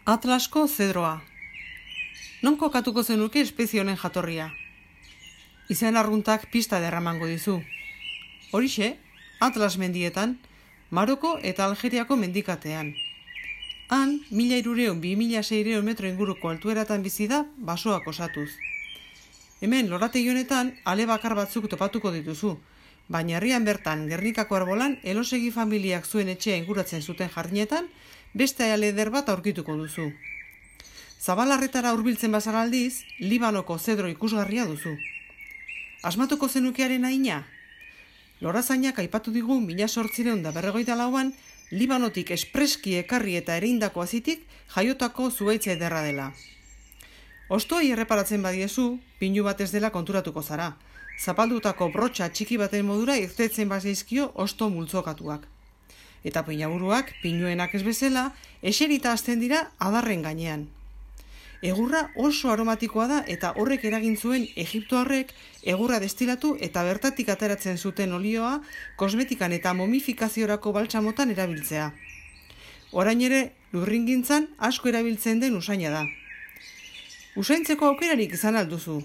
Atlasko zedroa. Non kokatuko zenuke espezie honen jatorria? Izen arruntak pista derramango dizu. Horixe, Atlas mendietan, Maroko eta Algeriako mendikatean. Han, 1300-2600 metro inguruko altueratan bizi da basoak osatuz. Hemen, lorategi honetan, ale bakar batzuk topatuko dituzu, baina herrian bertan, Gernikako arbolan, elosegi familiak zuen etxea inguratzen zuten jardinetan, beste ale eder bat aurkituko duzu. Zabalarretara hurbiltzen bazara aldiz, Libanoko zedro ikusgarria duzu. Asmatuko zenukearen haina? Lorazainak aipatu digu 1854an Libanotik espreski ekarri eta ereindako azitik jaiotako zuhaitz ederra dela. Ostoei erreparatzen badiezu, pinu bat ez dela konturatuko zara. Zapaldutako brotxa txiki baten modura irtetzen bazaizkio osto multzokatuak. Eta pinaburuak, pinuenak ez bezala, eserita hasten dira adarren gainean. Egurra oso aromatikoa da eta horrek eragin zuen Egiptoarrek egurra destilatu eta bertatik ateratzen zuten olioa kosmetikan eta momifikaziorako baltsamotan erabiltzea. Orain ere, lurringintzan asko erabiltzen den usaina da. Usaintzeko aukerarik izan alduzu,